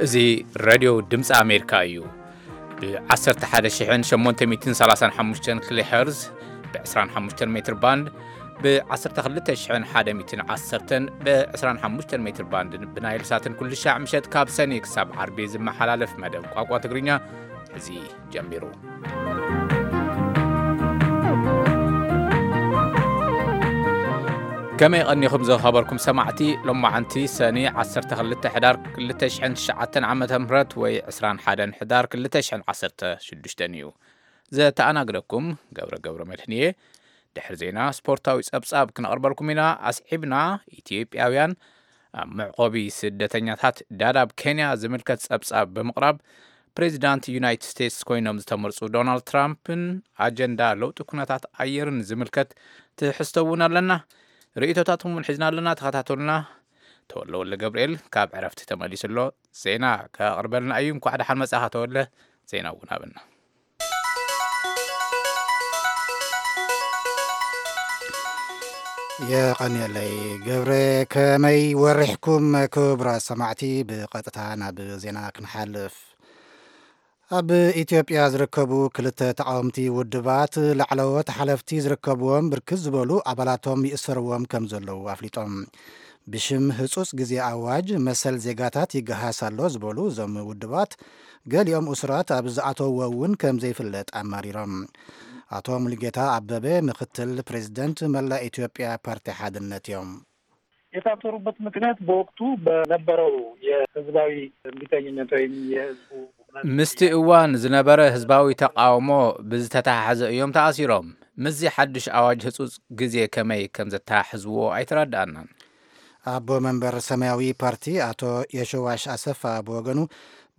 እዚ ሬድዮ ድምፂ ኣሜሪካ እዩ። ብ ዓሰርተ ሓደ ሽሕን ሸሞንተ ሚእትን ሰላሳን ሓሙሽተን ኪሎ ሄርዝ፣ ብ ዕስራን ሓሙሽተን ሜትር ባንድ፣ ብ ዓሰርተ ክልተ ሽሕን ሓደ ሚእትን ዓሰርተን፣ ብ ዕስራን ሓሙሽተን ሜትር ባንድን ብናይል ሳትን ኩሉ ሻዕ ምሸት ካብ ሰኒ ክሳብ ዓርቢ ዝመሓላለፍ መደብ ቋንቋ ትግርኛ እዚ ጀሚሩ። ከመይ ቀኒኹም ዝኸበርኩም ሰማዕቲ? ሎማዓንቲ ሰኒ ዓሰርተ ክልተ ሕዳር ክልተ ሽሕን ትሽዓተን ዓመተ ምህረት ወይ ዕስራን ሓደን ሕዳር ክልተ ሽሕን ዓሰርተ ሽዱሽተን እዩ። ዘተኣናግደኩም ገብረ ገብረ መድህን እየ። ድሕሪ ዜና ስፖርታዊ ጸብጻብ ክነቕርበልኩም ኢና። ኣስዒብና ኢትዮጵያውያን ኣብ መዕቆቢ ስደተኛታት ዳዳብ ኬንያ ዝምልከት ጸብጻብ ብምቕራብ፣ ፕሬዚዳንት ዩናይትድ ስቴትስ ኮይኖም ዝተመርጹ ዶናልድ ትራምፕን ኣጀንዳ ለውጢ ኩነታት ኣየርን ዝምልከት ትሕዝቶ እውን ኣለና። ርእይቶታትኩም እውን ሒዝና ኣለና። ተኸታተሉና። ተወለ ወልደ ገብርኤል ካብ ዕረፍቲ ተመሊሱ ኣሎ። ዜና ከቕርበልና እዩ። እንኳዕ ደሓን መጻኻ ተወለ። ዜና እውን ኣብና። የቐንየለይ ገብረ። ከመይ ወሪሕኩም ክቡራት ሰማዕቲ? ብቐጥታ ናብ ዜና ክንሓልፍ። ኣብ ኢትዮጵያ ዝርከቡ ክልተ ተቃወምቲ ውድባት ላዕለዎት ሓለፍቲ ዝርከብዎም ብርክት ዝበሉ ኣባላቶም ይእሰርዎም ከም ዘለዉ ኣፍሊጦም። ብሽም ህጹጽ ግዜ ኣዋጅ መሰል ዜጋታት ይገሃስ ኣሎ ዝበሉ እዞም ውድባት፣ ገሊኦም እሱራት ኣብ ዝኣተውዎ እውን ከም ዘይፍለጥ ኣማሪሮም። ኣቶ ሙሉጌታ ኣበበ ምክትል ፕሬዚደንት መላእ ኢትዮጵያ ፓርቲ ሓድነት እዮም። የታሰሩበት ምክንያት በወቅቱ በነበረው የህዝባዊ እምቢተኝነት ወይም የህዝቡ ምስቲ እዋን ዝነበረ ህዝባዊ ተቃውሞ ብዝተተሓሓዘ እዮም ተኣሲሮም። ምስዚ ሓድሽ ኣዋጅ ህጹጽ ግዜ ከመይ ከም ዘተሓሕዝዎ ኣይተረድኣናን። ኣቦ መንበር ሰማያዊ ፓርቲ ኣቶ የሸዋሽ ኣሰፋ ብወገኑ፣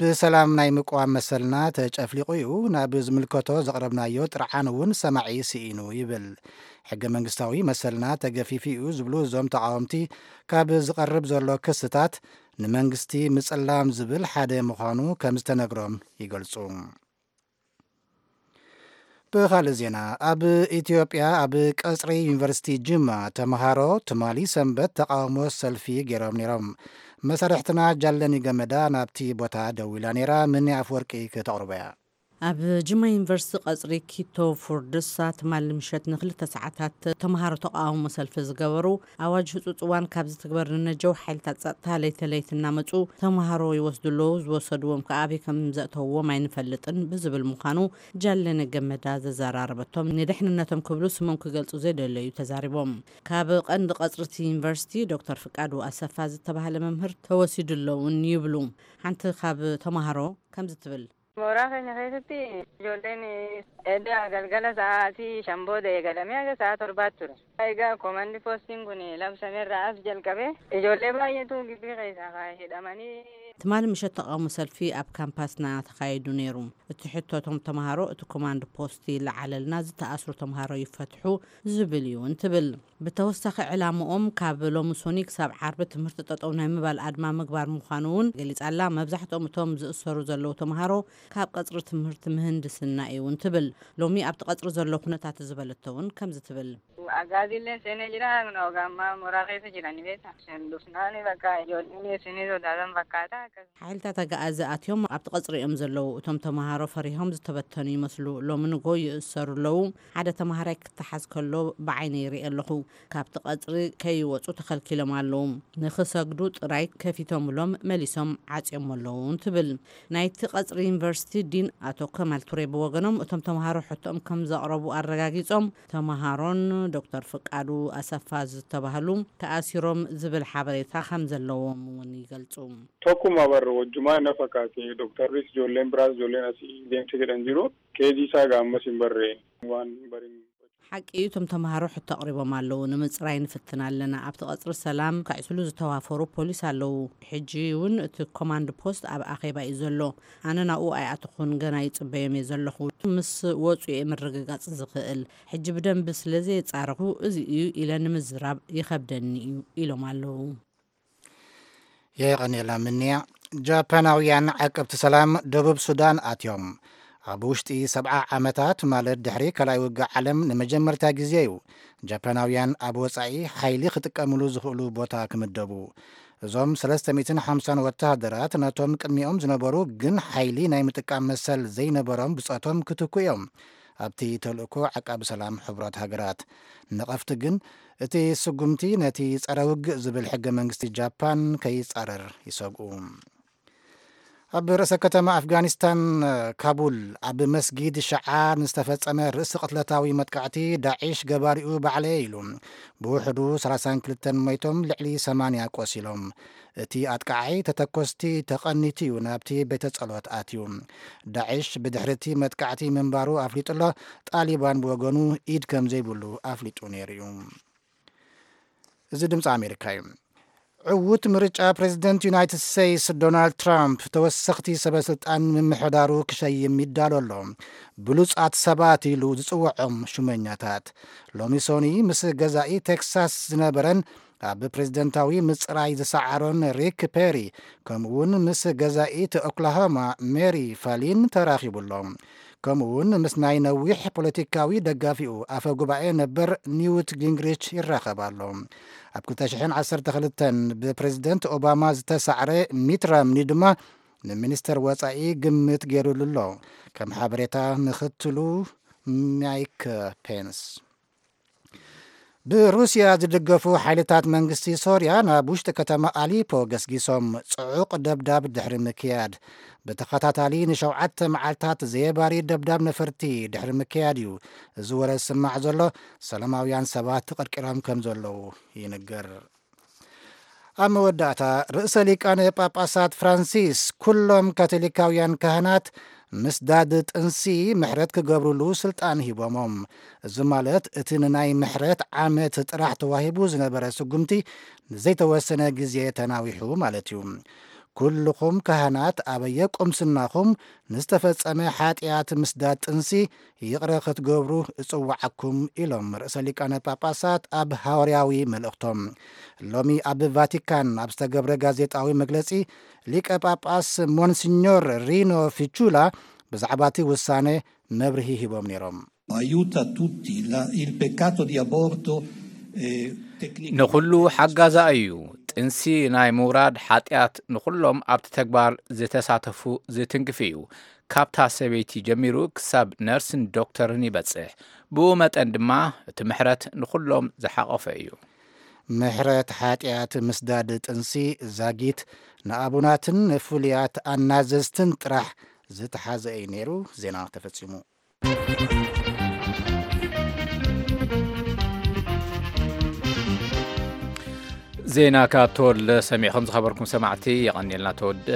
ብሰላም ናይ ምቅዋም መሰልና ተጨፍሊቑ እዩ፣ ናብ ዝምልከቶ ዘቕረብናዮ ጥርዓን እውን ሰማዒ ስኢኑ ይብል። ሕገ መንግስታዊ መሰልና ተገፊፉ እዩ ዝብሉ እዞም ተቃወምቲ፣ ካብ ዝቐርብ ዘሎ ክስታት ንመንግስቲ ምጽላም ዝብል ሓደ ምዃኑ ከም ዝተነግሮም ይገልጹ። ብኻልእ ዜና፣ ኣብ ኢትዮጵያ ኣብ ቀጽሪ ዩኒቨርሲቲ ጅማ ተምሃሮ ትማሊ ሰንበት ተቃውሞ ሰልፊ ገይሮም ነይሮም። መሳርሕትና ጃለኒ ገመዳ ናብቲ ቦታ ደዊላ ነይራ። ምኒ ኣፍወርቂ ክተቕርቦ እያ። ኣብ ጅማ ዩኒቨርሲቲ ቀጽሪ ኪቶ ፉርድሳ ትማሊ ምሸት ንክልተ ሰዓታት ተምሃሮ ተቃውሞ ሰልፊ ዝገበሩ፣ ኣዋጅ ህጹጽ እዋን ካብ ዝትግበር ንነጀው ሓይልታት ጸጥታ ለይቲ ለይቲ እናመጹ ተምሃሮ ይወስዱ ኣለዉ፣ ዝወሰድዎም ከኣ ኣበይ ከም ዘእተውዎም ኣይንፈልጥን ብዝብል ምዃኑ ጃለነ ገመዳ ዘዘራረበቶም፣ ንድሕንነቶም ክብሉ ስሞም ክገልጹ ዘይደለዩ ተዛሪቦም። ካብ ቀንዲ ቀጽሪ እቲ ዩኒቨርሲቲ ዶክተር ፍቃዱ ኣሰፋ ዝተባህለ መምህር ተወሲዱ ኣለውን ይብሉ። ሓንቲ ካብ ተምሃሮ ከምዚ ትብል። Mooraa keenya keessatti ijoolleen edda galgala sa'aatii shan booda eegalamee haga sa'a torbaatti ture. Egaa koomandi poostiin kun labsameerraa as jalqabee ijoollee baay'eetu gibbii keessaa kaa'ee hidhamanii ትማሊ ምሸት ተቃውሞ ሰልፊ ኣብ ካምፓስና ተኻይዱ ነይሩ። እቲ ሕቶ እቶም ተምሃሮ እቲ ኮማንድ ፖስት ይለዓለልና፣ ዝተኣስሩ ተምሃሮ ይፈትሑ ዝብል እዩ እንትብል። ብተወሳኺ ዕላምኦም ካብ ሎሚ ሶኒ ክሳብ ዓርቢ ትምህርቲ ጠጠው ናይ ምባል ኣድማ ምግባር ምዃኑ እውን ገሊጻ ኣላ። መብዛሕትኦም እቶም ዝእሰሩ ዘለዉ ተምሃሮ ካብ ቀጽሪ ትምህርቲ ምህንድስና እዩ እውን ትብል። ሎሚ ኣብቲ ቀጽሪ ዘሎ ኩነታት ዝበለቶ እውን ከምዚ ትብል። Agaaziillee seenee jira. Kun ogaammaa mooraa keessa jiran beekta. Shan dhufnaan bakka ijoolleen seenee sodaatan fakkaata. ሓይልታት ኣግኣዚ ኣትዮም ኣብቲ ቀጽሪ እዮም ዘለዉ። እቶም ተምሃሮ ፈሪሆም ዝተበተኑ ይመስሉ። ሎሚ ንጎ ይእሰሩ ኣለዉ። ሓደ ተምሃራይ ክተሓዝ ከሎ ብዓይነይ ይርኢ ኣለኹ። ካብቲ ቀጽሪ ከይወጹ ተኸልኪሎም ኣለዉ። ንኽሰግዱ ጥራይ ከፊቶምሎም መሊሶም ዓጽዮሞ ኣለዉ ትብል። ናይቲ ቀጽሪ ዩኒቨርሲቲ ዲን ኣቶ ከማል ቱሬ ብወገኖም እቶም ተምሃሮ ሕቶኦም ከም ዘቕረቡ ኣረጋጊጾም፣ ተምሃሮን ዶክተር ፍቃዱ ኣሰፋ ዝተባህሉ ተኣሲሮም ዝብል ሓበሬታ ከም ዘለዎም እውን ይገልጹ። Tokkuma barru wajjumaa na fakkaate. Dooktarris ijoolleen biraas ijoolleen asii deemte jedhan jiru. Keezii isaa gaammas hin barre waan bariin ሓቂ እዩ፣ እቶም ተምሃሮ ሕቶ ኣቕሪቦም ኣለዉ። ንምጽራይ ንፍትን ኣለና። ኣብቲ ቀጽሪ ሰላም ከዕስሉ ዝተዋፈሩ ፖሊስ ኣለዉ። ሕጂ እውን እቲ ኮማንድ ፖስት ኣብ ኣኼባ እዩ ዘሎ። ኣነ ናብኡ ኣይኣተኹን፣ ገና ይጽበዮም እየ ዘለኹ። ምስ ወጹ እየ ምርግጋጽ ዝኽእል። ሕጂ ብደንቢ ስለ ዘየጻረኹ እዚ እዩ ኢለ ንምዝራብ ይኸብደኒ እዩ ኢሎም ኣለዉ። የቐንየላ ምንያ። ጃፓናውያን ዓቀብቲ ሰላም ደቡብ ሱዳን ኣትዮም። ኣብ ውሽጢ ሰብዓ ዓመታት፣ ማለት ድሕሪ ካልኣይ ውግእ ዓለም፣ ንመጀመርታ ግዜ እዩ ጃፓናውያን ኣብ ወጻኢ ሓይሊ ክጥቀምሉ ዝኽእሉ ቦታ ክምደቡ። እዞም ሰለስተ ሚእትን ሓምሳን ወተሃደራት ነቶም ቅድሚኦም ዝነበሩ ግን ሓይሊ ናይ ምጥቃም መሰል ዘይነበሮም ብጾቶም ክትኩ እዮም። ኣብቲ ተልእኮ ዓቃቢ ሰላም ሕቡራት ሃገራት ነቐፍቲ ግን እቲ ስጉምቲ ነቲ ጸረ ውግእ ዝብል ሕገ መንግስቲ ጃፓን ከይጻረር ይሰግኡ። ኣብ ርእሰ ከተማ ኣፍጋኒስታን ካቡል ኣብ መስጊድ ሸዓ ንዝተፈጸመ ርእሲ ቅትለታዊ መጥቃዕቲ ዳዒሽ ገባሪኡ ባዕለየ ኢሉ። ብውሕዱ ሰላሳን ክልተን ሞይቶም፣ ልዕሊ ሰማንያ ቆሲሎም። እቲ ኣጥቃዓይ ተተኮስቲ ተቐኒቱ እዩ ናብቲ ቤተ ጸሎት ኣትዩ። ዳዒሽ ብድሕሪ እቲ መጥቃዕቲ ምንባሩ ኣፍሊጡ ኣሎ። ጣሊባን ብወገኑ ኢድ ከም ዘይብሉ ኣፍሊጡ ነይሩ እዩ። እዚ ድምፂ ኣሜሪካ እዩ። ዕዉት ምርጫ ፕሬዚደንት ዩናይትድ ስቴትስ ዶናልድ ትራምፕ ተወሰኽቲ ሰበ ስልጣን ምምሕዳሩ ክሸይም ይዳሎ ኣሎ። ብሉጻት ሰባት ኢሉ ዝጽውዖም ሹመኛታት ሎሚ ሶኒ ምስ ገዛኢ ቴክሳስ ዝነበረን ኣብ ፕሬዚደንታዊ ምጽራይ ዝሰዓሮን ሪክ ፔሪ፣ ከምኡውን ምስ ገዛኢት ኦክላሆማ ሜሪ ፋሊን ተራኺቡ ኣሎ። ከምኡውን ምስ ናይ ነዊሕ ፖለቲካዊ ደጋፊኡ ኣፈ ጉባኤ ነበር ኒውት ጊንግሪች ይራኸብ ኣሎ። ኣብ ክልተ ሽሕን ዓሰርተ ክልተን ብፕሬዚደንት ኦባማ ዝተሳዕረ ሚት ራምኒ ድማ ንሚኒስተር ወጻኢ ግምት ገይሩሉ ኣሎ። ከም ሓበሬታ ምኽትሉ ማይክ ፔንስ። ብሩስያ ዝድገፉ ሓይልታት መንግስቲ ሶርያ ናብ ውሽጢ ከተማ ኣሊፖ ገስጊሶም ጽዑቕ ደብዳብ ድሕሪ ምክያድ፣ ብተኸታታሊ ንሸውዓተ መዓልታት ዘየባሪ ደብዳብ ነፈርቲ ድሕሪ ምክያድ እዩ እዚ ወረ ዝስማዕ ዘሎ። ሰላማውያን ሰባት ተቐርቂሮም ከም ዘለዉ ይንገር። ኣብ መወዳእታ፣ ርእሰ ሊቃነ ጳጳሳት ፍራንሲስ ኩሎም ካቶሊካውያን ካህናት ምስዳድ ጥንሲ ምሕረት ክገብሩሉ ስልጣን ሂቦሞም። እዚ ማለት እቲ ንናይ ምሕረት ዓመት ጥራሕ ተዋሂቡ ዝነበረ ስጉምቲ ንዘይተወሰነ ግዜ ተናዊሑ ማለት እዩ። ኩልኹም ካህናት ኣበየ ቁምስናኹም ንዝተፈጸመ ሓጢኣት ምስዳድ ጥንሲ ይቕረ ክትገብሩ እጽውዓኩም ኢሎም ርእሰ ሊቃነ ጳጳሳት ኣብ ሃዋርያዊ መልእኽቶም። ሎሚ ኣብ ቫቲካን ኣብ ዝተገብረ ጋዜጣዊ መግለጺ ሊቀ ጳጳስ ሞንሲኞር ሪኖ ፊቹላ ብዛዕባ እቲ ውሳነ መብርሂ ሂቦም ነይሮም። Aiuta tutti. La- il peccato di aborto è tecnicamente ንኹሉ ሓጋዛ እዩ። ጥንሲ ናይ ምውራድ ሓጢኣት ንኹሎም ኣብቲ ተግባር ዝተሳተፉ ዝትንክፍ እዩ። ካብታ ሰበይቲ ጀሚሩ ክሳብ ነርስን ዶክተርን ይበጽሕ። ብኡ መጠን ድማ እቲ ምሕረት ንኹሎም ዝሓቖፈ እዩ። ምሕረት ሓጢኣት ምስዳድ ጥንሲ ዛጊት ንኣቡናትን ፍሉያት ኣናዘዝትን ጥራሕ ዝተሓዘ እዩ ነይሩ። ዜና ተፈጺሙ። ዜና ካብ ተወልደ ሰሚዕኹም ዝኸበርኩም ሰማዕቲ የቐንየልና ተወልደ።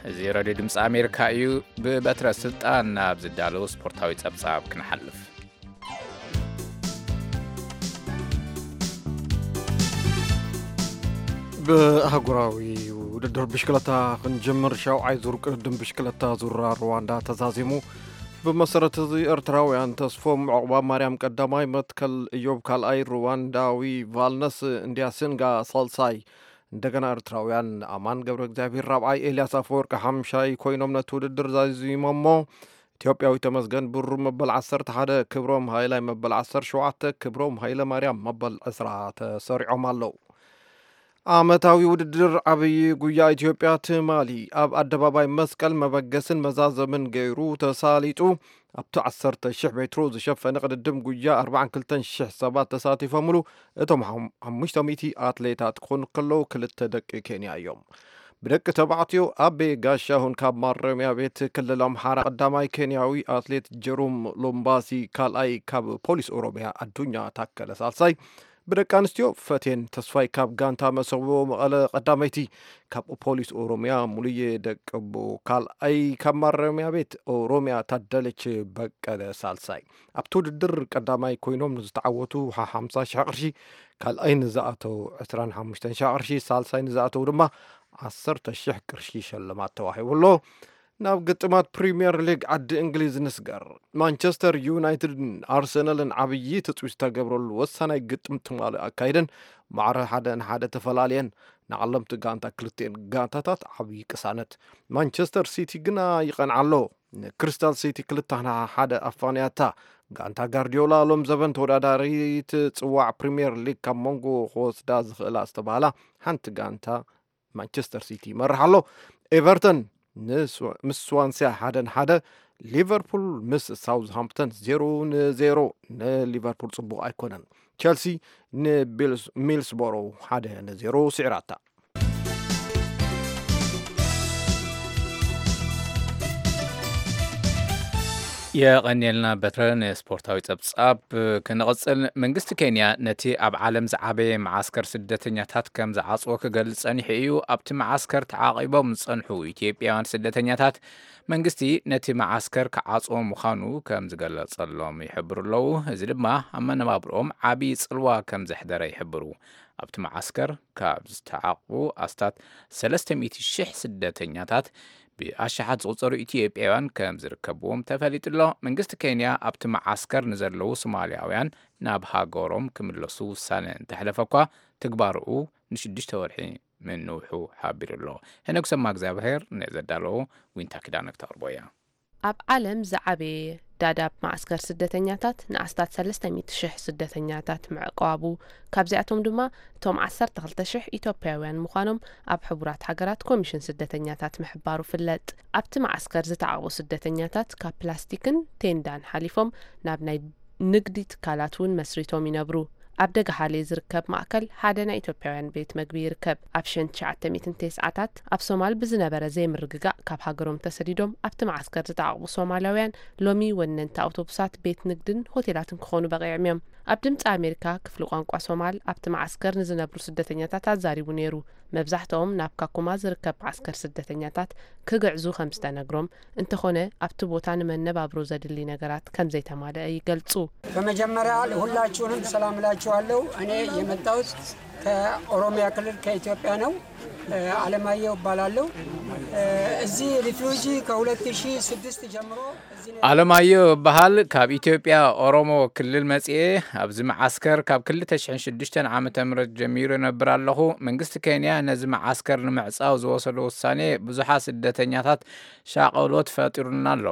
እዚ ሬድዮ ድምፂ ኣሜሪካ እዩ። ብበትረ ስልጣን ናብ ዝዳለዉ ስፖርታዊ ጸብጻብ ክንሓልፍ። ብኣህጉራዊ ውድድር ብሽክለታ ክንጀምር። ሻውዓይ ዙር ቅድድም ብሽክለታ ዙራ ሩዋንዳ ተዛዚሙ። ብመሰረት እዚ ኤርትራውያን ተስፎም ዑቕባ ማርያም ቀዳማይ፣ መትከል እዮብ ካልኣይ፣ ሩዋንዳዊ ቫልነስ እንዲያሲንጋ ሳልሳይ፣ እንደገና ኤርትራውያን ኣማን ገብረ እግዚኣብሔር ራብዓይ፣ ኤልያስ ኣፈወርቂ ሓምሻይ ኮይኖም ነቲ ውድድር ዛዚሞሞ። ኢትዮጵያዊ ተመስገን ብሩ መበል ዓሰርተ ሓደ፣ ክብሮም ሃይላይ መበል ዓሰርተ ሸውዓተ፣ ክብሮም ሃይለ ማርያም መበል ዕስራ ተሰሪዖም ኣለዉ። ዓመታዊ ውድድር ዓብዪ ጉያ ኢትዮጵያ ትማሊ ኣብ ኣደባባይ መስቀል መበገስን መዛዘምን ገይሩ ተሳሊጡ። ኣብቲ ዓሰርተ ሽሕ ሜትሮ ዝሸፈነ ቅድድም ጉያ ኣርባዓን ክልተን ሽሕ ሰባት ተሳቲፎምሉ። እቶም ሓም- ሓሙሽተ ሚእቲ ኣትሌታት ክኾኑ ከለዉ ክልተ ደቂ ኬንያ እዮም። ብደቂ ተባዕትዮ ኣቤ ጋሻሁን ካብ ማረሚያ ቤት ክልል ኣምሓራ ቀዳማይ፣ ኬንያዊ ኣትሌት ጀሩም ሎምባሲ ካልኣይ፣ ካብ ፖሊስ ኦሮሚያ ኣዱኛ ታከለ ሳልሳይ፣ ብደቂ ኣንስትዮ ፈቴን ተስፋይ ካብ ጋንታ መሰቦ መቐለ ቀዳመይቲ፣ ካብ ፖሊስ ኦሮሚያ ሙሉዬ ደቀቦ ካልኣይ፣ ካብ ማረሚያ ቤት ኦሮሚያ ታደለች በቀለ ሳልሳይ። ኣብቲ ውድድር ቀዳማይ ኮይኖም ንዝተዓወቱ ሓ- ሓምሳ ሽሕ ቅርሺ፣ ካልኣይ ንዝኣተው ዕስራን ሓሙሽተን ሽሕ ቅርሺ፣ ሳልሳይ ንዝኣተው ድማ ዓሰርተ ሽሕ ቅርሺ ሽልማት ተዋሂቡ ኣሎ። ናብ ግጥማት ፕሪምየር ሊግ ዓዲ እንግሊዝ ንስገር። ማንቸስተር ዩናይትድን ኣርሰናልን ዓብዪ ትፅቢት ዝተገብረሉ ወሳናይ ግጥም ትማሊ ኣካይደን ማዕረ ሓደ ንሓደ ተፈላልየን። ንዓለምቲ ጋንታ ክልቲኤን ጋንታታት ዓብዪ ቅሳነት። ማንቸስተር ሲቲ ግና ይቐንዓ ኣሎ። ንክሪስታል ሲቲ ክልተ ንሓደ ኣፋንያታ። ጋንታ ጋርዲዮላ ሎም ዘበን ተወዳዳሪት ፅዋዕ ፕሪምየር ሊግ ካብ መንጎ ክወስዳ ዝኽእላ ዝተባህላ ሓንቲ ጋንታ ማንቸስተር ሲቲ ይመርሕ ኣሎ። ኤቨርተን ንስ-፣ ምስ ስዋንሲያ ሓደ ንሓደ፣ ሊቨርፑል ምስ ሳውዝሃምፕተን ዜሮ ንዜሮ። ንሊቨርፑል ጽቡቕ ኣይኮነን። ቸልሲ ንቢልስ-፣ ሚልስቦሮ ሓደ ንዜሮ ስዒራታ። የቐንየልና በትረ። ንስፖርታዊ ጸብጻብ ክንቕጽል፣ መንግስቲ ኬንያ ነቲ ኣብ ዓለም ዝዓበየ መዓስከር ስደተኛታት ከም ዝዓጽዎ ክገልጽ ጸኒሑ እዩ። ኣብቲ መዓስከር ተዓቒቦም ዝጸንሑ ኢትዮጵያውያን ስደተኛታት መንግስቲ ነቲ መዓስከር ክዓጽዎ ምዃኑ ከም ዝገለጸሎም ይሕብሩ ኣለዉ። እዚ ድማ ኣብ መነባብሮኦም ዓብዪ ጽልዋ ከም ዘሕደረ ይሕብሩ። ኣብቲ መዓስከር ካብ ዝተዓቕቡ ኣስታት ሰለስተ ሚእቲ ሽሕ ስደተኛታት ብኣሽሓት ዝቑጸሩ ኢትዮጵያውያን ከም ዝርከብዎም ተፈሊጡ ኣሎ። መንግስቲ ኬንያ ኣብቲ መዓስከር ንዘለዉ ሶማልያውያን ናብ ሃገሮም ክምለሱ ውሳነ እንተሕለፈ እኳ፣ ትግባርኡ ንሽዱሽተ ወርሒ ምንውሑ ሓቢሩ ኣሎ። ሄኖክ ሰማ እግዚኣብሔር ነዘዳለዎ ዊንታ ኪዳነ ክተቕርቦ እያ። ኣብ ዓለም ዝዓበየ ዳዳብ ማዕስከር ስደተኛታት ንኣስታት ሰለስተ ሚእቲ ሽሕ ስደተኛታት ምዕቋቡ፣ ካብዚኣቶም ድማ እቶም ዓሰርተ ክልተ ሽሕ ኢትዮጵያውያን ምዃኖም ኣብ ሕቡራት ሃገራት ኮሚሽን ስደተኛታት ምሕባሩ ፍለጥ። ኣብቲ ማዕስከር ዝተዓቕቡ ስደተኛታት ካብ ፕላስቲክን ቴንዳን ሓሊፎም ናብ ናይ ንግዲ ትካላት እውን መስሪቶም ይነብሩ። ኣብ ደገሃሌ ዝርከብ ማእከል ሓደ ናይ ኢትዮጵያውያን ቤት መግቢ ይርከብ። ኣብ ሸን ትሽዓተ ሚእትን ተስዓታት ኣብ ሶማል ብዝነበረ ዘይምርግጋእ ካብ ሃገሮም ተሰዲዶም ኣብቲ መዓስከር ዝተዓቕቡ ሶማላውያን ሎሚ ወነንቲ ኣውቶቡሳት፣ ቤት ንግድን ሆቴላትን ክኾኑ በቒዖም እዮም። ኣብ ድምፂ ኣሜሪካ ክፍሊ ቋንቋ ሶማል ኣብቲ መዓስከር ንዝነብሩ ስደተኛታት ኣዛሪቡ ነይሩ። መብዛሕትኦም ናብ ካኩማ ዝርከብ መዓስከር ስደተኛታት ክግዕዙ ከም ዝተነግሮም፣ እንተኾነ ኣብቲ ቦታ ንመነባብሮ ዘድሊ ነገራት ከም ዘይተማልአ ይገልጹ። በመጀመሪያ ሁላችሁንም ሰላም እላችኋለሁ። እኔ የመጣሁት ከኦሮሚያ ክልል ከኢትዮጵያ ነው። እ፣ አለማየሁ እባላለሁ። እ፣ እዚህ ሪፊውጂ ከሁለት ሺህ ስድስት ጀምሮ እዚህ ነው። ኣለማየሁ እበሃል፣ ካብ ኢትዮጵያ ኦሮሞ ክልል መጽኤ። ኣብዚ መዓስከር ካብ ክልተ ሽሕን ሽዱሽተን ዓመተ ምህረት ጀሚሩ እነብር ኣለኹ። መንግስቲ ኬንያ ነዚ መዓስከር ንምዕጻው ዝወሰዶ ውሳኔ ብዙሓት ስደተኛታት ሻቐሎት ፈጢሩልና ኣሎ።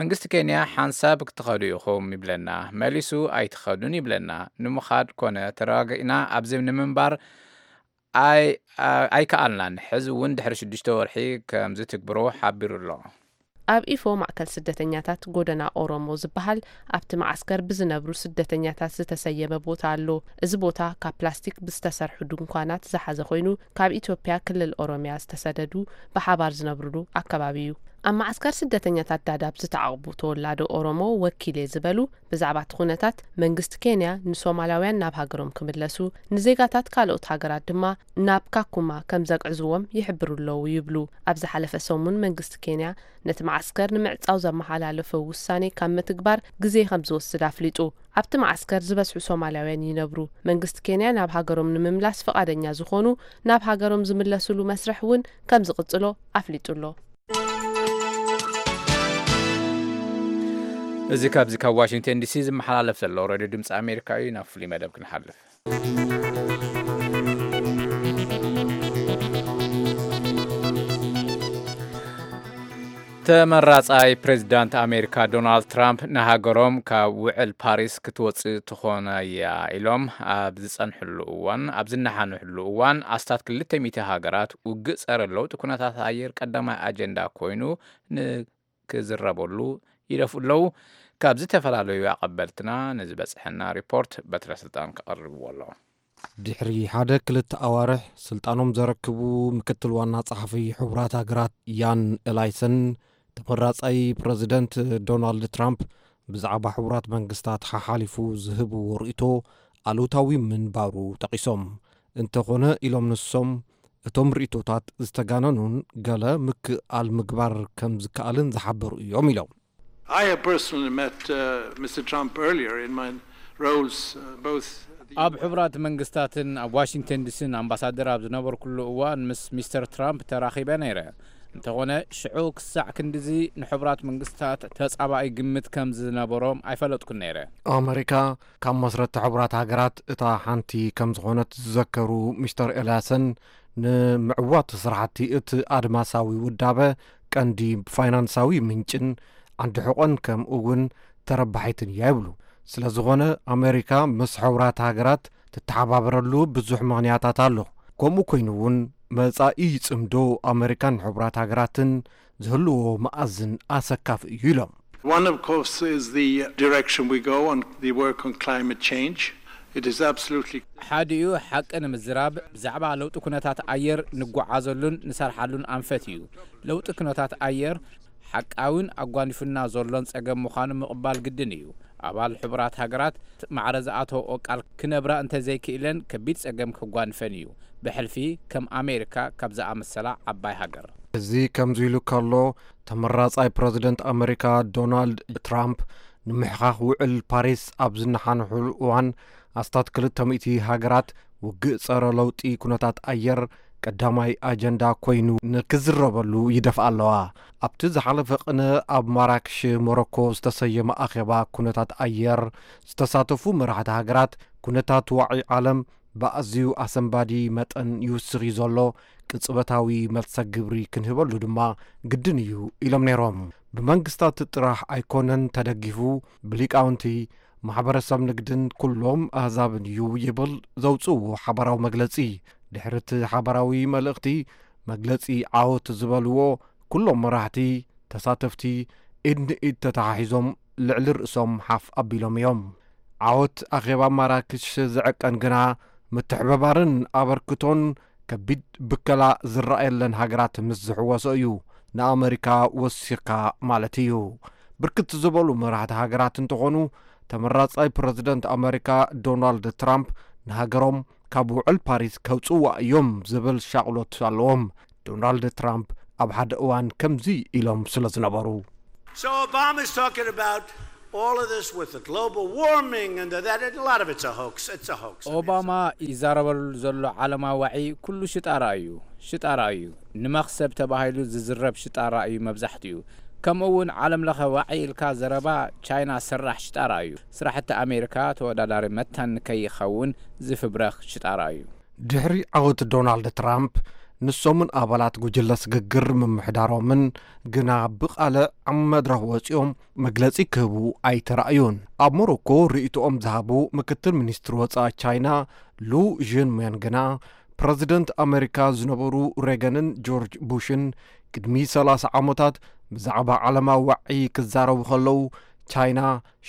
መንግስቲ ኬንያ ሓንሳብ ክትኸዱ ኢኹም ይብለና፣ መሊሱ ኣይትኸዱን ይብለና። ንምኻድ ኮነ ተረጋጊእና ኣብዚ ንምንባር ኣይ-፣ ኣይከኣልናን። ሕዚ እውን ድሕሪ ሽዱሽተ ወርሒ ከም ዝትግብሮ ሓቢሩ ኣሎ። ኣብ ኢፎ ማእከል ስደተኛታት ጎደና ኦሮሞ ዝበሃል ኣብቲ መዓስከር ብዝነብሩ ስደተኛታት ዝተሰየመ ቦታ ኣሎ። እዚ ቦታ ካብ ፕላስቲክ ብዝተሰርሑ ድንኳናት ዝሓዘ ኮይኑ፣ ካብ ኢትዮጵያ ክልል ኦሮሚያ ዝተሰደዱ ብሓባር ዝነብሩሉ ኣከባቢ እዩ። ኣብ መዓስከር ስደተኛታት ዳዳብ ዝተዓቕቡ ተወላዶ ኦሮሞ ወኪል እየ ዝበሉ፣ ብዛዕባ እቲ ኩነታት መንግስቲ ኬንያ ንሶማላውያን ናብ ሃገሮም ክምለሱ፣ ንዜጋታት ካልኦት ሃገራት ድማ ናብ ካኩማ ከም ዘግዕዝዎም ይሕብሩ ኣለዉ ይብሉ። ኣብ ዝሓለፈ ሰሙን መንግስቲ ኬንያ ነቲ መዓስከር ንምዕጻው ዘመሓላለፈ ውሳኔ ካብ ምትግባር ግዜ ከም ዝወስድ ኣፍሊጡ። ኣብቲ መዓስከር ዝበዝሑ ሶማላውያን ይነብሩ። መንግስቲ ኬንያ ናብ ሃገሮም ንምምላስ ፍቓደኛ ዝኾኑ ናብ ሃገሮም ዝምለስሉ መስርሕ እውን ከም ዝቕጽሎ ኣፍሊጡ ኣሎ። እዚ ካብዚ ካብ ዋሽንግተን ዲሲ ዝመሓላለፍ ዘሎ ሬድዮ ድምፂ ኣሜሪካ እዩ። ናብ ፍሉይ መደብ ክንሓልፍ። ተመራጻይ ፕሬዚዳንት ኣሜሪካ ዶናልድ ትራምፕ ንሃገሮም ካብ ውዕል ፓሪስ ክትወጽእ ትኾን እያ ኢሎም ኣብ ዝጸንሕሉ እዋን፣ ኣብ ዝነሓንሕሉ እዋን፣ ኣስታት ክልተ ሚእቲ ሃገራት ውግእ ጸረ ለውጢ ኩነታት ኣየር ቀዳማይ ኣጀንዳ ኮይኑ ንክዝረበሉ ይደፍኡ ኣለዉ። ካብ ዝተፈላለዩ ኣቐበልትና ንዝበጽሐና ሪፖርት በትረ ስልጣን ከቕርብዎ ኣሎ። ድሕሪ ሓደ ክልተ ኣዋርሕ ስልጣኖም ዘረክቡ ምክትል ዋና ጸሓፊ ሕቡራት ሃገራት ያን ኤላይሰን፣ ተመራጻይ ፕረዚደንት ዶናልድ ትራምፕ ብዛዕባ ሕቡራት መንግስታት ሓሓሊፉ ዝህብዎ ርእይቶ ኣሉታዊ ምንባሩ ጠቒሶም። እንተኾነ ኢሎም ንሶም፣ እቶም ርእይቶታት ዝተጋነኑን ገለ ምክእኣል ምግባር ከም ዝከኣልን ዝሓበሩ እዮም ኢሎም። I have personally met, uh, Mister Trump earlier in my roles, uh, both at the ኣብ ሕቡራት መንግስታትን ኣብ ዋሽንግተን ዲሲን ኣምባሳደር ኣብ ዝነበርኩሉ እዋን ምስ ሚስተር ትራምፕ ተራኺበ ነይረ። እንተኾነ ሽዑ ክሳዕ ክንድዚ ንሕቡራት መንግስታት ተጻባኢ ግምት ከም ዝነበሮም ኣይፈለጥኩን ነይረ። ኣመሪካ ካብ መስረቲ ሕቡራት ሃገራት እታ ሓንቲ ከም ዝኾነት ዝዘከሩ ሚስተር ኤልያሰን፣ ንምዕዋት ስራሕቲ እቲ ኣድማሳዊ ውዳበ ቀንዲ ፋይናንሳዊ ምንጭን ዓንዲ ሕቖን ከምኡ እውን ተረባሒትን እያ ይብሉ። ስለ ዝኾነ ኣመሪካ ምስ ሕቡራት ሃገራት ትተሓባበረሉ ብዙሕ ምኽንያታት ኣሎ። ከምኡ ኮይኑ እውን መጻኢ ጽምዶ ኣመሪካን ሕቡራት ሃገራትን ዝህልዎ መኣዝን ኣሰካፊ እዩ ኢሎም። One, of course, is the direction we go on the work on climate change. It is absolutely ሓዲኡ ሓቂ ንምዝራብ ብዛዕባ ለውጢ ኩነታት ኣየር ንጓዓዘሉን ንሰርሓሉን ኣንፈት እዩ። ለውጢ ኩነታት ኣየር ሓቃዊን ኣጓኒፉና ዘሎን ጸገም ምዃኑ ምቕባል ግድን እዩ። ኣባል ሕቡራት ሃገራት ማዕረ ዝኣተወኦ ቃል ክነብራ እንተዘይክእለን ከቢድ ጸገም ከጓንፈን እዩ። ብሕልፊ ከም ኣሜሪካ ካብ ዝኣመሰላ ዓባይ ሃገር። እዚ ከምዚ ኢሉ ከሎ፣ ተመራጻይ ፕረዚደንት ኣመሪካ ዶናልድ ትራምፕ ንምሕኻኽ ውዕል ፓሪስ ኣብ ዝነሓንሕሉ እዋን፣ ኣስታት ክልተ ሚእቲ ሃገራት ውግእ ጸረ ለውጢ ኩነታት ኣየር ቀዳማይ ኣጀንዳ ኮይኑ ንክዝረበሉ ይደፍኣ ኣለዋ። ኣብቲ ዝሓለፈ ቅነ ኣብ ማራክሽ ሞሮኮ ዝተሰየመ ኣኼባ ኩነታት ኣየር ዝተሳተፉ መራሕቲ ሃገራት፣ ኩነታት ዋዒ ዓለም ብኣዝዩ ኣሰንባዲ መጠን ይውስኽ እዩ ዘሎ፣ ቅጽበታዊ መልሰ ግብሪ ክንህበሉ ድማ ግድን እዩ ኢሎም ነይሮም። ብመንግስታት ጥራሕ ኣይኮነን ተደጊፉ፣ ብሊቃውንቲ፣ ማሕበረሰብ ንግድን ኩሎም ኣህዛብን እዩ ይብል ዘውፅእዎ ሓባራዊ መግለፂ። ድሕሪ እቲ ሓባራዊ መልእኽቲ መግለፂ ዓወት ዝበልዎ ኩሎም መራሕቲ ተሳተፍቲ ኢድ ንኢድ ተተሓሒዞም ልዕሊ ርእሶም ሓፍ ኣቢሎም እዮም። ዓወት ኣኼባ ማራክሽ ዝዕቀን ግና ምትሕብባርን ኣበርክቶን ከቢድ ብከላ ዝረኣየለን ሃገራት ምስ ዝሕወሶ እዩ፣ ንኣመሪካ ወሲኽካ ማለት እዩ። ብርክት ዝበሉ መራሕቲ ሃገራት እንተኾኑ፣ ተመራጻይ ፕረዚደንት ኣመሪካ ዶናልድ ትራምፕ ንሃገሮም ካብ ውዕል ፓሪስ ከውጽዋ እዮም ዝብል ሻቕሎት ኣለዎም። ዶናልድ ትራምፕ ኣብ ሓደ እዋን ከምዚ ኢሎም ስለ ዝነበሩ። So Obama's talking about all of this with the global warming and the, that. A lot of it's a hoax. It's a hoax. ኦባማ ይዛረበሉ ዘሎ ዓለማዊ ዋዒ ኩሉ ሽጣራ እዩ። ሽጣራ እዩ። ንመኽሰብ ተባሂሉ ዝዝረብ ሽጣራ እዩ መብዛሕትኡ። ከምኡ እውን ዓለም ለኸ ዋዒ ኢልካ ዘረባ ቻይና ሰራሕ ሽጣራ እዩ። ስራሕቲ ኣሜሪካ ተወዳዳሪ መታን ንከይኸውን ዝፍብረኽ ሽጣራ እዩ። ድሕሪ ዓወት ዶናልድ ትራምፕ፣ ንሶምን ኣባላት ጉጅለ ስግግር ምምሕዳሮምን ግና ብቓልዕ ኣብ መድረኽ ወጺኦም መግለጺ ክህቡ ኣይተራእዩን። ኣብ ሞሮኮ ርእይቶኦም ዝሃቡ ምክትል ሚኒስትር ወጻኢ ቻይና ሉ ዥንሜን ግና፣ ፕረዚደንት ኣመሪካ ዝነበሩ ሬገንን ጆርጅ ቡሽን ቅድሚ ሰላሳ ዓመታት ብዛዕባ ዓለማዊ ዋዒ ክዛረቡ ከለዉ፣ ቻይና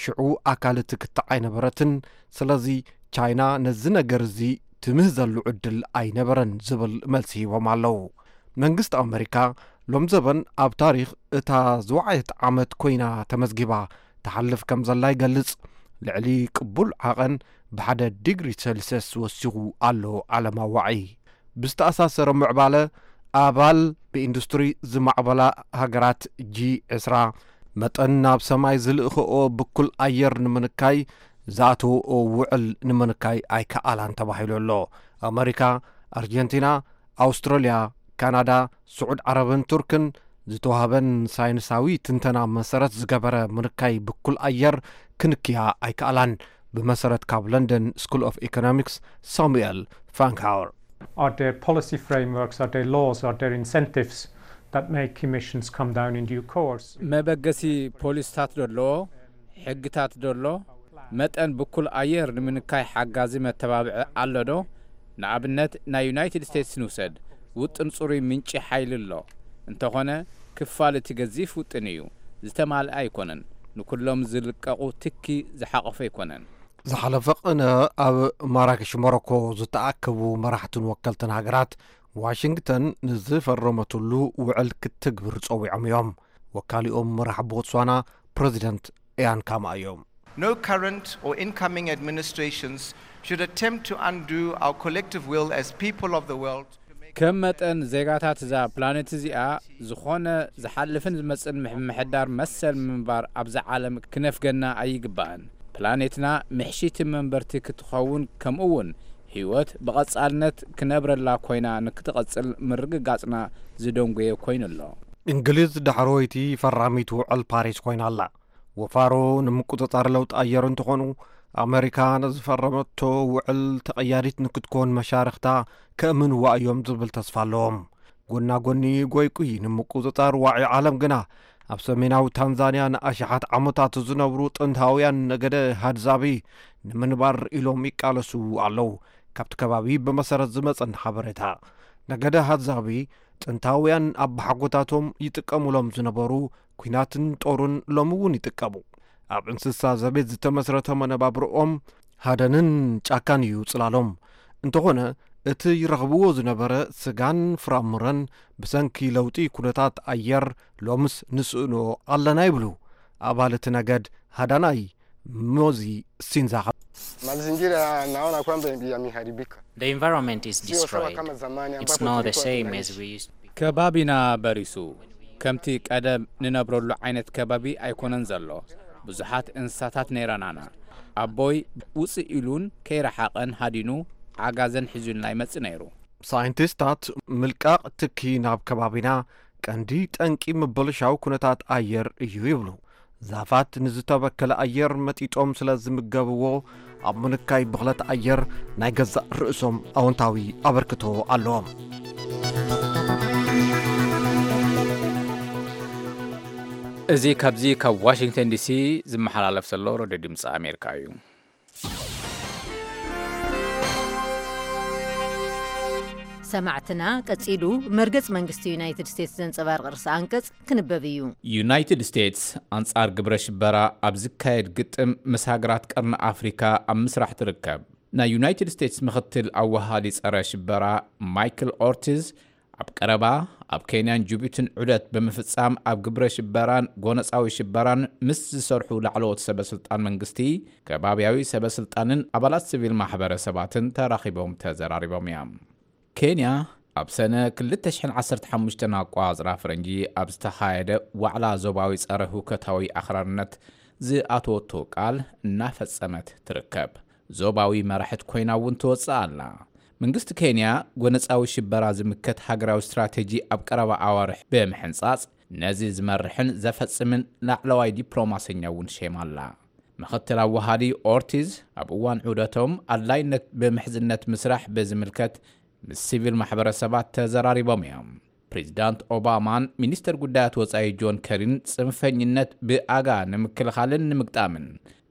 ሽዑ ኣካል እቲ ክትዕ ኣይነበረትን። ስለዚ ቻይና ነዚ ነገር እዚ ትምህዘሉ ዕድል ኣይነበረን ዝብል መልሲ ሂቦም ኣለዉ። መንግስቲ ኣመሪካ ሎም ዘበን ኣብ ታሪኽ እታ ዝወዓየት ዓመት ኮይና ተመዝጊባ ትሓልፍ ከም ዘላ ይገልጽ። ልዕሊ ቅቡል ዓቐን ብሓደ ዲግሪ ሴልስየስ ወሲኹ ኣሎ ዓለማዊ ዋዒ። ብዝተኣሳሰረ ምዕባለ፣ ኣባል ብኢንዱስትሪ ዝማዕበላ ሃገራት ጂ ዕስራ መጠን ናብ ሰማይ ዝልእኽኦ ብኩል ኣየር ንምንካይ ዝኣተወኦ ውዕል ንምንካይ ኣይከኣላን ተባሂሉ ኣሎ። ኣመሪካ፣ ኣርጀንቲና፣ ኣውስትራልያ፣ ካናዳ፣ ስዑድ ዓረብን ቱርክን ዝተዋህበን ሳይንሳዊ ትንተና መሰረት ዝገበረ ምንካይ ብኩል ኣየር ክንክያ ኣይከኣላን። ብመሰረት ካብ ለንደን ስኩል ኦፍ ኢኮኖሚክስ ሳሙኤል ፍራንክሃወር። Are there policy frameworks, are there laws, are there incentives that make emissions come down in due course? መበገሲ ፖሊስታት ዶ ኣለዎ? ሕግታት ዶ ኣሎ? መጠን ብኩል ኣየር ንምንካይ ሓጋዚ መተባብዒ ኣሎ ዶ? ንኣብነት ናይ ዩናይትድ ስቴትስ ንውሰድ። ውጥን ጽሩይ ምንጪ ሓይሊ ኣሎ። እንተኾነ ክፋል እቲ ገዚፍ ውጥን እዩ። ዝተማልአ ኣይኮነን። ንኩሎም ዝልቀቑ ትኪ ዝሓቆፈ ኣይኮነን። ዝሓለፈ ቅነ ኣብ ማራክሽ ሞሮኮ ዝተኣከቡ መራሕትን ወከልትን ሃገራት ዋሽንግተን ንዝፈረመትሉ ውዕል ክትግብር ጸዊዖም እዮም። ወካሊኦም መራሕ ቦትስዋና ፕረዚደንት ኢያን ካማ እዮም። No current or incoming administrations should attempt to undo our collective will as people of the world. ከም መጠን ዜጋታት እዛ ፕላኔት እዚኣ ዝኾነ ዝሓልፍን ዝመጽእን ምምሕዳር መሰል ምንባር ኣብዛ ዓለም ክነፍገና ኣይግባእን። ፕላኔትና ምሕሽቲ መንበርቲ ክትኸውን ከምኡ እውን ህይወት ብቐጻልነት ክነብረላ ኮይና ንክትቐጽል ምርግጋጽና ዝደንጎየ ኮይኑ ኣሎ። እንግሊዝ ዳሕረወይቲ ፈራሚት ውዕል ፓሪስ ኮይና ኣላ። ወፋሮ ንምቁጽጻር ለውጢ ኣየር እንተኾኑ ኣመሪካ ንዝፈረመቶ ውዕል ተቐያዲት ንክትኮን መሻርኽታ ከእምንዋ እዮም ዝብል ተስፋ ኣለዎም። ጎና ጎኒ ጎይቁይ ንምቁጽጻር ዋዒ ዓለም ግና ኣብ ሰሜናዊ ታንዛንያ ንኣሽሓት ዓመታት ዝነብሩ ጥንታውያን ነገደ ሃድዛቢ ንምንባር ኢሎም ይቃለሱ ኣለዉ። ካብቲ ከባቢ ብመሰረት ዝመጸና ሓበሬታ ነገደ ሃዛቢ ጥንታውያን ኣባሓጎታቶም ይጥቀሙሎም ዝነበሩ ኲናትን ጦሩን ሎሚ እውን ይጥቀሙ። ኣብ እንስሳ ዘቤት ዝተመስረተ መነባብርኦም ሃደንን ጫካን እዩ ጽላሎም። እንተኾነ እቲ ይረኽብዎ ዝነበረ ስጋን ፍራምረን ብሰንኪ ለውጢ ኩነታት ኣየር ሎምስ ንስእኖ ኣለና ይብሉ ኣባል እቲ ነገድ ሃዳናይ ሞዚ ሲንዛኻ። Mazingira naona kwamba yameharibika. The environment is Sio sawa destroyed. Kama zamani It's ambapo not the tulikuwa same tunaishi. As we used to be. ከባቢና በሪሱ። ከምቲ ቀደም ንነብረሉ ዓይነት ከባቢ ኣይኮነን ዘሎ። ብዙሓት እንስሳታት ነይረናና። ኣቦይ ውፅእ ኢሉን ከይረሓቐን ሃዲኑ ዓጋዘን ሒዙልና ይመጽእ ነይሩ። ሳይንቲስታት ምልቃቕ ትኪ ናብ ከባቢና ቀንዲ ጠንቂ ምብልሻው ኩነታት ኣየር እዩ ይብሉ። ዛፋት ንዝተበከለ ኣየር መጢጦም ስለ ዝምገብዎ ኣብ ምንካይ ብኽለት ኣየር ናይ ገዛእ ርእሶም ኣወንታዊ ኣበርክቶ ኣለዎም። እዚ ካብዚ ካብ ዋሽንግተን ዲሲ ዝመሓላለፍ ዘሎ ሬድዮ ድምፂ ኣሜሪካ እዩ። ሰማዕትና ቀጺሉ መርገጽ መንግስቲ ዩናይትድ ስቴትስ ዘንጸባርቕ ርእሰ ኣንቀጽ ክንበብ እዩ። ዩናይትድ ስቴትስ ኣንጻር ግብረ ሽበራ ኣብ ዝካየድ ግጥም ምስ ሃገራት ቀርኒ ኣፍሪካ ኣብ ምስራሕ ትርከብ። ናይ ዩናይትድ ስቴትስ ምኽትል ኣወሃዲ ጸረ ሽበራ ማይክል ኦርቲዝ ኣብ ቀረባ ኣብ ኬንያን ጅቡትን ዑደት ብምፍጻም ኣብ ግብረ ሽበራን ጎነጻዊ ሽበራን ምስ ዝሰርሑ ላዕለዎት ሰበ ስልጣን መንግስቲ፣ ከባብያዊ ሰበ ስልጣንን ኣባላት ሲቪል ማሕበረሰባትን ተራኺቦም ተዘራሪቦም እዮም። ኬንያ ኣብ ሰነ ክልተ ሽሕን ዓሰርተ ሓሙሽተን ኣቋጽራ ፈረንጂ ኣብ ዝተኻየደ ዋዕላ ዞባዊ ጸረ ህውከታዊ ኣኽራርነት ዝኣተወቶ ቃል እናፈጸመት ትርከብ። ዞባዊ መራሕት ኮይና እውን ትወጽእ ኣላ። መንግስቲ ኬንያ ጎነጻዊ ሽበራ ዝምከት ሃገራዊ ስትራተጂ ኣብ ቀረባ ኣዋርሕ ብምሕንጻጽ ነዚ ዝመርሕን ዘፈጽምን ላዕለዋይ ዲፕሎማሰኛ እውን ሸይማ ኣላ። ምኽትል ኣወሃዲ ኦርቲዝ ኣብ እዋን ዑደቶም ኣድላይነት ብምሕዝነት ምስራሕ ብዝምልከት ምስ ሲቪል ማሕበረሰባት ተዘራሪቦም እዮም። ፕሬዚዳንት ኦባማን ሚኒስተር ጉዳያት ወጻኢ ጆን ከሪን ጽንፈኝነት ብኣጋ ንምክልኻልን ንምግጣምን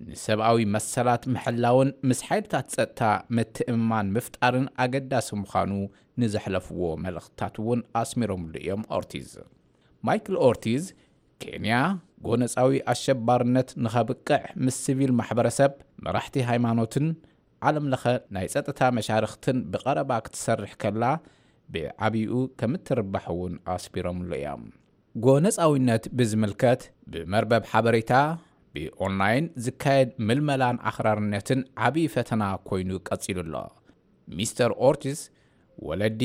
ንሰብኣዊ መሰላት ምሕላውን ምስ ሓይልታት ጸጥታ ምትእምማን ምፍጣርን ኣገዳሲ ምዃኑ ንዘሕለፍዎ መልእኽትታት እውን ኣስሚሮምሉ እዮም። ኦርቲዝ ማይክል ኦርቲዝ ኬንያ ጎነጻዊ ኣሸባርነት ንኸብቅዕ ምስ ሲቪል ማሕበረሰብ፣ መራሕቲ ሃይማኖትን ዓለም ለኸ ናይ ጸጥታ መሻርኽትን ብቐረባ ክትሰርሕ ከላ ብዓብይኡ ከምትርባሕ እውን ኣስቢሮምሉ እዮም። ጎነጻዊነት ብዝምልከት ብመርበብ ሓበሬታ ብኦንላይን ዝካየድ ምልመላን ኣኽራርነትን ዓብዪ ፈተና ኮይኑ ቀጺሉ ኣሎ። ሚስተር ኦርቲዝ ወለዲ፣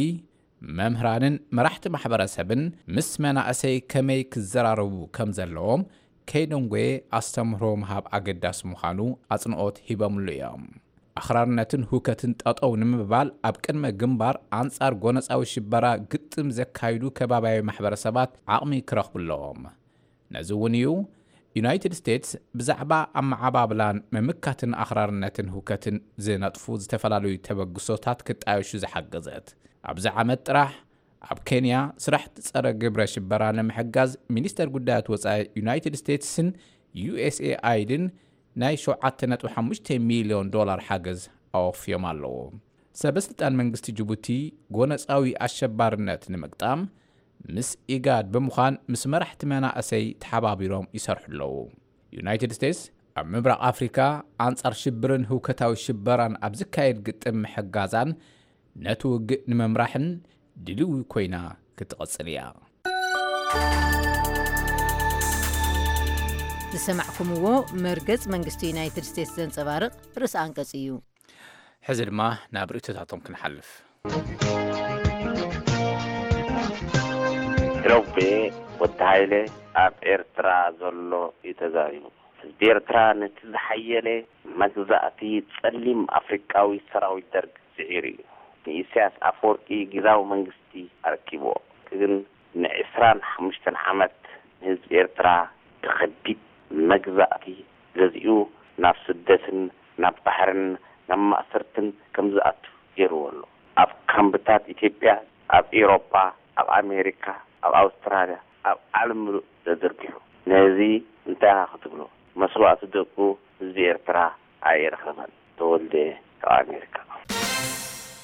መምህራንን መራሕቲ ማሕበረሰብን ምስ መናእሰይ ከመይ ክዘራረቡ ከም ዘለዎም ከይደንጎየ ኣስተምህሮ ምሃብ ኣገዳሲ ምዃኑ ኣጽንኦት ሂቦምሉ እዮም። ኣኽራርነትን ሁከትን ጠጠው ንምባል ኣብ ቅድመ ግንባር ኣንጻር ጎነጻዊ ሽበራ ግጥም ዘካይዱ ከባብያዊ ማሕበረሰባት ዓቕሚ ክረኽቡ ኣለዎም። ነዚ እውን እዩ ዩናይትድ ስቴትስ ብዛዕባ ኣመዓባብላን ምምካትን ኣኽራርነትን ሁከትን ዝነጥፉ ዝተፈላለዩ ተበግሶታት ክጣየሹ ዝሓገዘት። ኣብዚ ዓመት ጥራሕ ኣብ ኬንያ ስራሕቲ ጸረ ግብረ ሽበራ ንምሕጋዝ ሚኒስተር ጉዳያት ወጻኢ ዩናይትድ ስቴትስን ዩ ኤስ ኤ ኣይድን ናይ ሸውዓተ ነጥቢ ሓሙሽተ ሚልዮን ዶላር ሓገዝ ኣወፍዮም ኣለዉ። ሰበ ስልጣን መንግስቲ ጅቡቲ ጎነጻዊ ኣሸባርነት ንምግጣም ምስ ኢጋድ ብምዃን ምስ መራሕቲ መናእሰይ ተሓባቢሮም ይሰርሑ ኣለዉ። ዩናይትድ ስቴትስ ኣብ ምብራቕ ኣፍሪካ ኣንጻር ሽብርን ህውከታዊ ሽበራን ኣብ ዝካየድ ግጥም ምሕጋዛን ነቲ ውግእ ንምምራሕን ድልዊ ኮይና ክትቐጽል እያ። ዝሰማዕኩምዎ መርገጽ መንግስቲ ዩናይትድ ስቴትስ ዘንጸባርቕ ርእሰ ኣንቀጽ እዩ። ሕዚ ድማ ናብ ርእይቶታቶም ክንሓልፍ። ሮቤ ወዲ ሃይለ ኣብ ኤርትራ ዘሎ እዩ ተዛሪቡ። ህዝቢ ኤርትራ ነቲ ዝሓየለ መግዛእቲ ጸሊም ኣፍሪቃዊ ሰራዊት ደርግ ስዒሩ እዩ። ንኢሳያስ ኣፈወርቂ ግዛዊ መንግስቲ ኣረኪብዎ። ግን ንዕስራን ሓሙሽተን ዓመት ንህዝቢ ኤርትራ ብኸቢድ መግዛእቲ ገዚኡ ናብ ስደትን ናብ ባሕርን ናብ ማእሰርትን ከም ዝኣቱ ገይርዎ ኣሎ። ኣብ ካምብታት ኢትዮጵያ፣ ኣብ ኤውሮጳ፣ ኣብ ኣሜሪካ፣ ኣብ ኣውስትራልያ፣ ኣብ ዓለም ምሉእ ተዘርጊሑ። ነዚ እንታይ ኢኻ ክትብሎ? መስዋእቲ ደቁ ህዝቢ ኤርትራ ኣየረኸበን። ተወልደ ካብ ኣሜሪካ።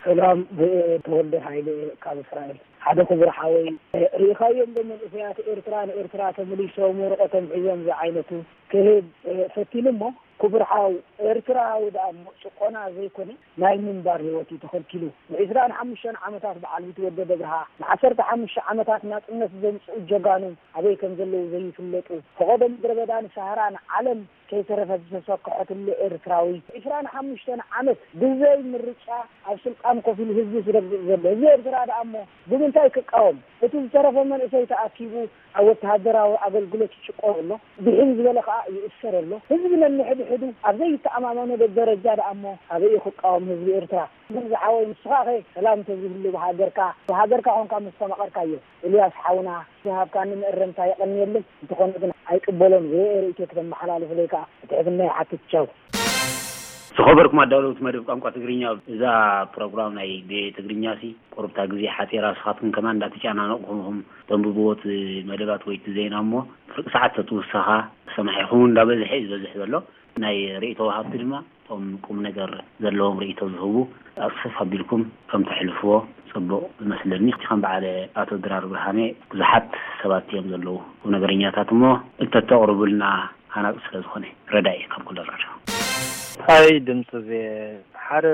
ሰላም፣ ተወልደ ሃይለ ካብ እስራኤል። ሓደ ክቡር ሓወይ፣ ርኢኻዮም ዶ መንእሰያት ኤርትራ ንኤርትራ ተመሊሶም ወረቐቶም ሒዞም ዝዓይነቱ ክህብ ፈቲኑ እሞ፣ ክቡር ሓው፣ ኤርትራዊ ደኣ እሞ ጭቆና ዘይኮነ ናይ ምንባር ህይወት እዩ ተኸልኪሉ። ንዒስራን ሓሙሽተን ዓመታት በዓል ቢትወደድ ኣብርሃ፣ ንዓሰርተ ሓሙሽተ ዓመታት ናጽነት ዘምጽኡ ጀጋኑ ኣበይ ከም ዘለዉ ዘይፍለጡ፣ ፈቐዶ ምድረ በዳን ሰሃራን ዓለም ከይተረፈት ዝተሰክሐትሉ ኤርትራዊ፣ ዒስራን ሓሙሽተን ዓመት ብዘይ ምርጫ ኣብ ስልጣን ኮፍ ኢሉ ህዝቢ ዝረግጽ ዘሎ ህዝቢ ኤርትራ ደኣ እሞ ብምንታይ ክቃወም? እቲ ዝተረፈ መንእሰይ ተኣኪቡ ኣብ ወተሃደራዊ ኣገልግሎት ይጭቆን ኣሎ፣ ብሕን ዝበለ ከኣ ይእሰር ኣሎ። ህዝቢ ነንሕድሕዱ ኣብ ዘይተኣማመነሉ ደረጃ ደኣ እሞ ኣበይ እዩ ክቃወም ህዝቢ ኤርትራ? ግን ዝሓወይ ንስኻኸ ሰላም እንተዝህሉ ብሃገርካ፣ ብሃገርካ ኮንካ ምስተማቐርካዮ። ኤልያስ ሓውና፣ ዝሃብካኒ መእረምታ የቐንየለይ። እንተኾነ ግን ኣይቅበሎን። ዝረአ ርእይቶ ክተመሓላልፉለይ ከኣ ብትሕትና ይሓትት። ቻው። ዝኸበርኩም ኣዳለውቲ መደብ ቋንቋ ትግርኛ፣ እዛ ፕሮግራም ናይ ቪኦኤ ትግርኛ ሲ ቁሩብታ ግዜ ሓጺራ፣ ንስኻትኩም ከማን እንዳተጨናነቕኩም ኢኹም ተንብብዎ እቲ መደባት ወይ እቲ ዜና እሞ፣ ፍርቂ ሰዓት ተትውሰኻ ሰማዒኹም እንዳበዝሐ እዩ ዝበዝሕ ዘሎ። ናይ ርእይቶ ወሃብቲ ድማ እቶም ቁም ነገር ዘለዎም ርእይቶ ዝህቡ ኣቕስፍ ኣቢልኩም ከም ተሕልፍዎ ጽቡቕ ይመስለኒ። ከም በዓል ኣቶ ድራር ብርሃኔ ብዙሓት ሰባት እዮም ዘለዉ ቁም ነገረኛታት እሞ እንተተቕርቡልና ሃናጺ ስለ ዝኾነ ረዳኢ እዩ ካብ ኩለን ረድዮ። ታይ ድምፂ ዜ ሓደ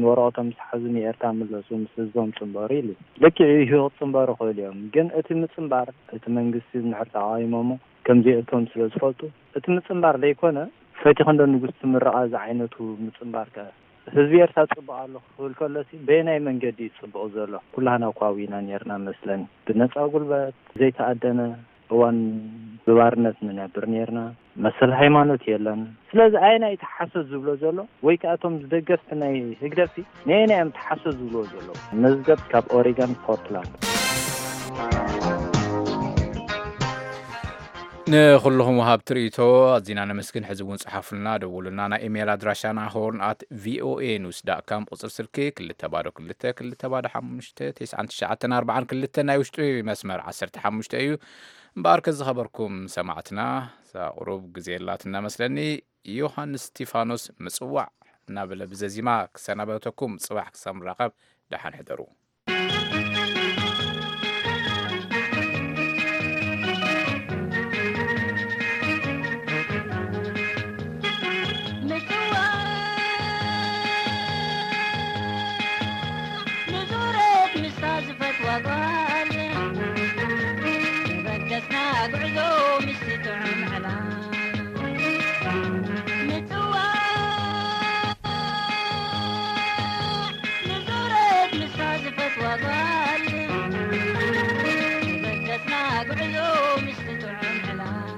ንወረቐቶም ምስ ሓዙ ንኤርትራ ምለሱ ምስ ህዝቦም ፅንበሩ ኢሉ። ልክዕ እዩ፣ ክፅንበሩ ይኽእሉ እዮም። ግን እቲ ምፅንባር እቲ መንግስቲ እንድሕር ተቓዊሞሞ ከምዚኣቶም ስለ ዝፈልጡ እቲ ምፅንባር ዘይኮነ ፈቲኹ እንዶ ንጉስ ትምረቓ ዝዓይነቱ ምፅንባር ከ ህዝቢ ኤርትራ ፅቡቕ ኣሎ ክብል ከሎሲ በየናይ መንገዲ እዩ ፅቡቕ ዘሎ? ኩላህና እኳ ዊና ነርና መስለኒ። ብነፃ ጉልበት ዘይተኣደነ እዋን ብባርነት ንነብር ነርና። መሰል ሃይማኖት የለን። ስለዚ ኣየናይ እቲ ሓሶት ዝብሎ ዘሎ? ወይ ከኣ እቶም ደገፍቲ ናይ ህግደፍሲ ነየናይ እዮም እቲ ሓሶት ዝብልዎ ዘለዉ? መዝገብ ካብ ኦሪጋን ፖርትላንድ። ንኹልኹም ወሃብቲ ርእይቶ ኣዚና ነመስግን። ሕዚ እውን ጽሓፉልና፣ ደውሉና። ናይ ኢሜይል ኣድራሻና ሆርን ኣት ቪኦኤ ኒውስ ዳት ካም፣ ቁጽሪ ስልኪ ክልተ ባዶ ክልተ ክልተ ባዶ ሓሙሽተ ተስዓን ትሽዓተን ኣርባዓን ክልተ፣ ናይ ውሽጢ መስመር ዓሰርተ ሓሙሽተ እዩ። እምበኣር ከዝኸበርኩም ሰማዕትና፣ እዛ ቁሩብ ግዜ የላትና መስለኒ። ዮሃንስ ስቲፋኖስ ምጽዋዕ እናበለ ብዘዚማ ክሰናበተኩም፣ ጽባሕ ክሳብ ንራኸብ ደሓን ሕደሩ። ምጽዋዕ ንዙረት ምስታ ዝፈትዋ ጓል፣ በገስና ጉዕዞ ምስቲ ጥዑም ዕላል። ምጽዋዕ ንዙረት ምስታ ዝፈትዋ ጓል፣ በገስና ጉዕዞ ምስቲ ጥዑም ዕላል።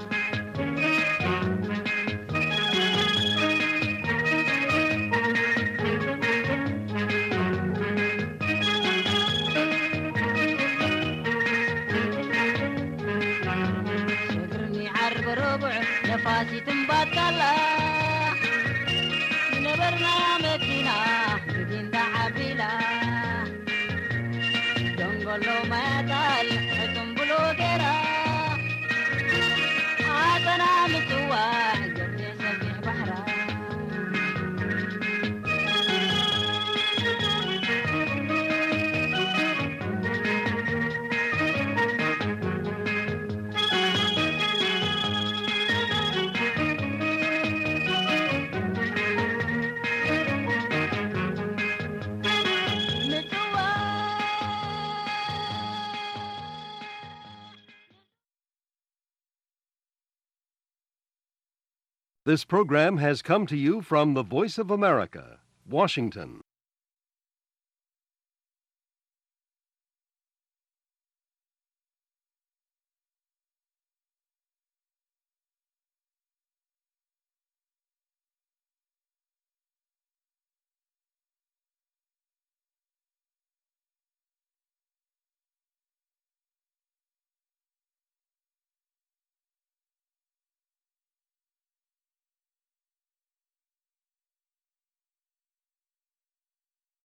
ሽግርኒ ዓርቢ ረቡዕ ነፋሲት እምባጣላ፣ ዝነበርናያ መኪና ብጊንዳ ዓቢላ፣ ደንጎሎ ማያታል ሕቱም ብሎ ገይራ፣ ዓጸና ምጽዋዕ ገብሬ ሰፊሕ ባሕራ። This program has come to you from the Voice of America, Washington.